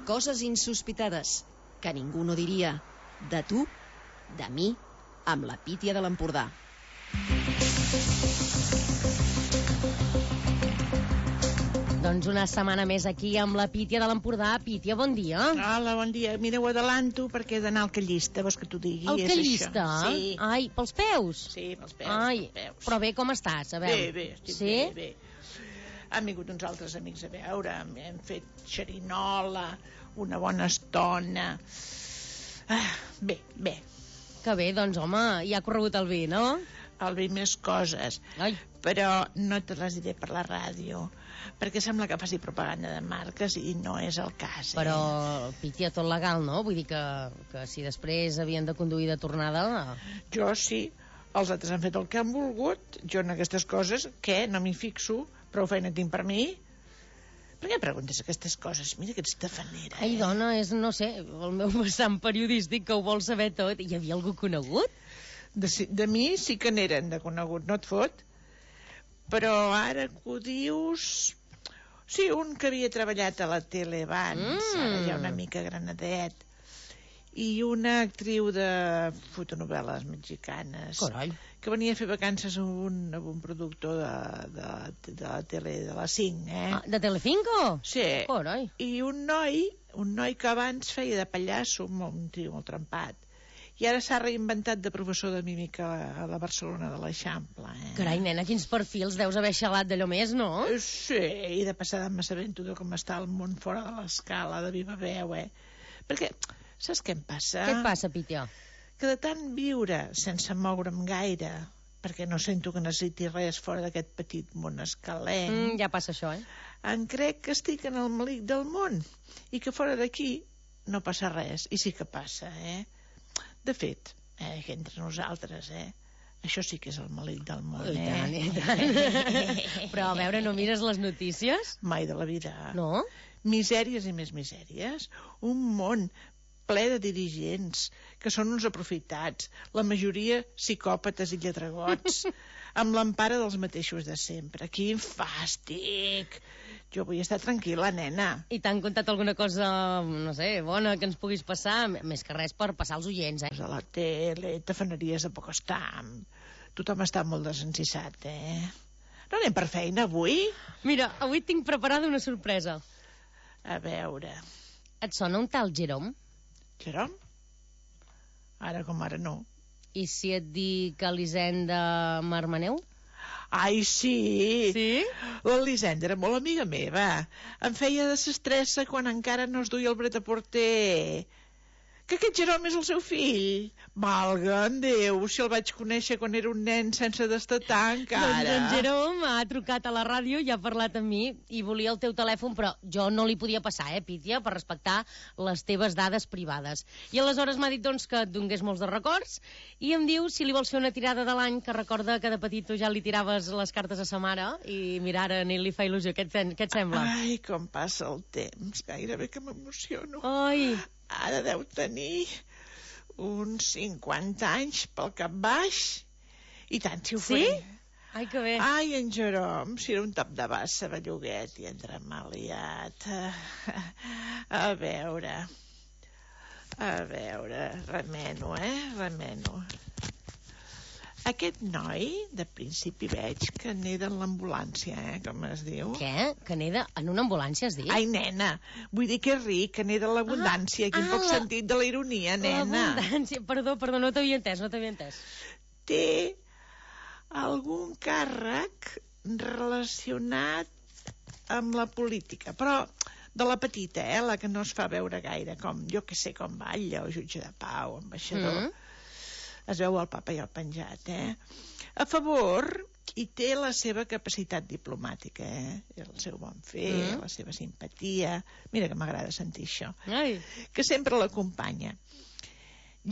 coses insospitades que ningú no diria. De tu, de mi, amb la Pítia de l'Empordà. Doncs una setmana més aquí amb la Pítia de l'Empordà. Pítia, bon dia. Hola, bon dia. Mira, ho adelanto perquè he d'anar al Callista, vols que t'ho digui? Al Callista? Sí. Ai, pels peus? Sí, pels peus. Ai, pels peus. però bé, com estàs? A veure. Bé, estic sí? bé. Han vingut uns altres amics a veure, hem fet xerinola, una bona estona. Bé. Que bé, doncs, home, ja ha corregut el vi, no? El vi més coses. Ai. Però no te les diré per la ràdio, perquè sembla que faci propaganda de marques i no és el cas. Però, Pítia, tot legal, no? Vull dir que si després havien de conduir de tornada... Jo sí, els altres han fet el que han volgut, jo en aquestes coses, què? No m'hi fixo, prou feina tinc per mi. Per què preguntes aquestes coses? Mira que ets tafanera. Ai, dona, és, no sé, el meu vessant periodístic que ho vol saber tot. Hi havia algú conegut? De mi sí que n'eren de conegut, no et fot? Però ara que ho dius... Sí, un que havia treballat a la tele abans, ara ja una mica granadet, i una actriu de fotonovel·les mexicanes. Carai. Que venia a fer vacances amb un productor de la tele de la 5, Ah, de Telecinco? Sí. Carai. I un noi que abans feia de pallasso, un tio molt trempat, i ara s'ha reinventat de professor de mímica a la Barcelona de l'Eixample. Carai, nena, quins perfils deus haver xalat d'allò més, no? Sí, i de passada m'assabento de com està el món fora de l'escala, de viva veu, Perquè, saps què em passa? Què et passa, Pítia? Que de tant viure sense moure'm gaire, perquè no sento que necessiti res fora d'aquest petit món escalenc, Ja passa això, em crec que estic en el malic del món, i que fora d'aquí no passa res, i sí que passa, De fet, que entre nosaltres, això sí que és el malic del món, I tant. Però, a veure, no mires les notícies? Mai de la vida. No? Misèries i més misèries. Un món ple de dirigents que són uns aprofitats, la majoria psicòpates i lletragots, amb l'empara dels mateixos de sempre. Quin fàstic! Jo vull estar tranquil·la, nena. I t'han contat alguna cosa, no sé, bona que ens puguis passar? Més que res per passar els oients, A la tele, tafaneries a poc estam. Tothom està molt desencissat, No anem per feina avui? Mira, avui tinc preparada una sorpresa. A veure... Et sona un tal Jerome? Jerome? Ara com ara no. I si et dic Elisenda Marmaneu? Ai, sí! Sí? L'Elisenda era molt amiga meva. Em feia de sestressa quan encara no es duia el Bret-a-Porter. Que aquest Jerome és el seu fill. Valga'm Déu, si el vaig conèixer quan era un nen sense destatar encara. Doncs en Jerome ha trucat a la ràdio i ha parlat amb mi i volia el teu telèfon, però jo no li podia passar, Pítia, per respectar les teves dades privades. I aleshores m'ha dit doncs que et donés molts de records i em diu si li vols fer una tirada de l'any, que recorda que de petit tu ja li tiraves les cartes a sa mare i mira, ara ni li fa il·lusió. Què et sembla? Ai, com passa el temps, gairebé que m'emociono. Ai... Ara deu tenir uns 50 anys pel cap baix. I tant, si ho faré. Sí? Ai, que bé. Ai, en Jerome, si era un tap de bassa, belluguet, i entre maliat. A veure, remeno, remeno. Aquest noi, de principi veig que neda en l'ambulància, com es diu. Què? Que neda en una ambulància, has dit? Ai, nena, vull dir que és ric, que neda en l'abundància. Quin poc sentit de la ironia, nena. L'abundància, perdó, no t'havia entès. Té algun càrrec relacionat amb la política, però de la petita, la que no es fa veure gaire, com, jo que sé, com batlle, o jutge de pau, ambaixador. Es veu el papa i el penjat, A favor, hi té la seva capacitat diplomàtica, el seu bon fer, la seva simpatia. Mira que m'agrada sentir això. Ai. Que sempre l'acompanya.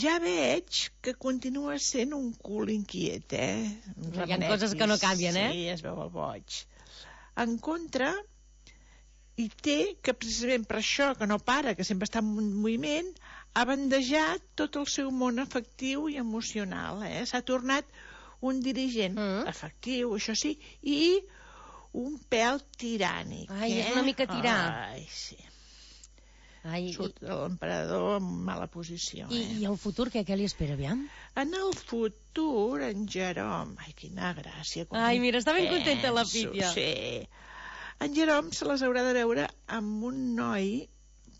Ja veig que continua sent un cul inquiet, Hi ha coses que no canvien, Sí, es veu el boig. En contra, hi té que precisament per això, que no para, que sempre està en moviment, ha bandejat tot el seu món afectiu i emocional, S'ha tornat un dirigent efectiu, això sí, i un pèl tirànic. Ai, és una mica tirà. Ai, sí. Surt l'emperador en mala posició. I el futur, què li espera, aviam? En el futur, en Jerome... Ai, quina gràcia. Ai, mira, està ben contenta la Pítia. Sí. En Jerome se les haurà de veure amb un noi,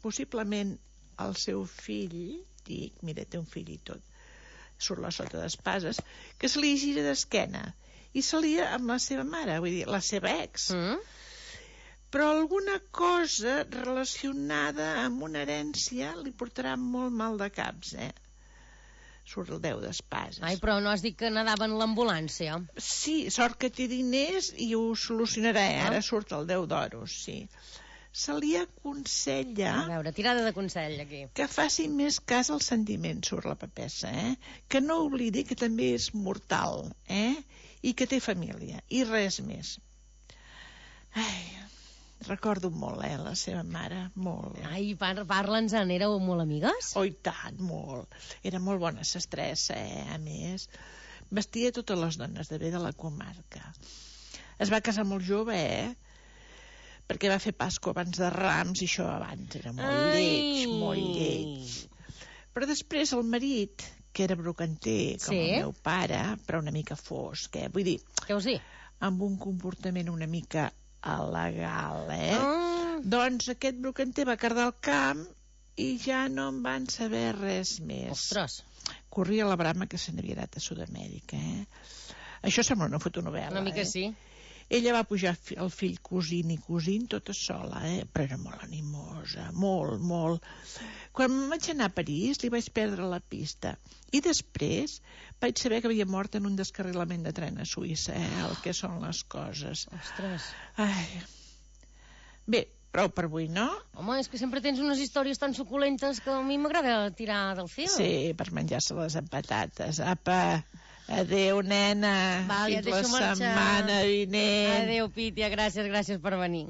possiblement el seu fill, dic, mira, té un fill i tot, surt la sota d'espases, que se li gira d'esquena i se lia amb la seva mare, vull dir, la seva ex. Però alguna cosa relacionada amb una herència li portarà molt mal de caps, Surt el 10 d'espases. Ai, però no has dit que anava en l'ambulància? Sí, sort que té diners i ho solucionarà, Ara surt el 10 d'oros, sí. Se li aconsella... A veure, tirada de consell, aquí. Que faci més cas als sentiments, surt la papessa, Que no oblidi que també és mortal, I que té família, i res més. Ai, recordo molt, la seva mare, molt. Ai, parla'ns-en, éreu molt amigues? Oh, i tant, molt. Era molt bona sestressa, a més. Vestia totes les dones de bé de la comarca. Es va casar molt jove, perquè va fer Pasqua abans de Rams, i això abans era molt lleig, molt lleig. Però després el marit, que era brocanter, com el meu pare, però una mica fosc, vull dir... Què vols dir? Amb un comportament una mica il·legal, Doncs aquest brocanter va cardar el camp i ja no en van saber res més. Ostres! Corria la brama que se n'havia anat a Sud-amèrica, Això sembla una fotonovel·la, Una mica sí. Ella va pujar el fill cosint i cosint tota sola, però era molt animosa, molt, molt. Quan vaig anar a París li vaig perdre la pista i després vaig saber que havia mort en un descarrilament de tren a Suïssa, el que són les coses. Ostres. Ai. Bé, prou per avui, no? Home, és que sempre tens unes històries tan suculentes que a mi m'agrada tirar del fil. Sí, per menjar-se-les amb patates. Apa, adéu, nena. Val, fins la setmana vinent. Adéu, Pítia, gràcies per venir.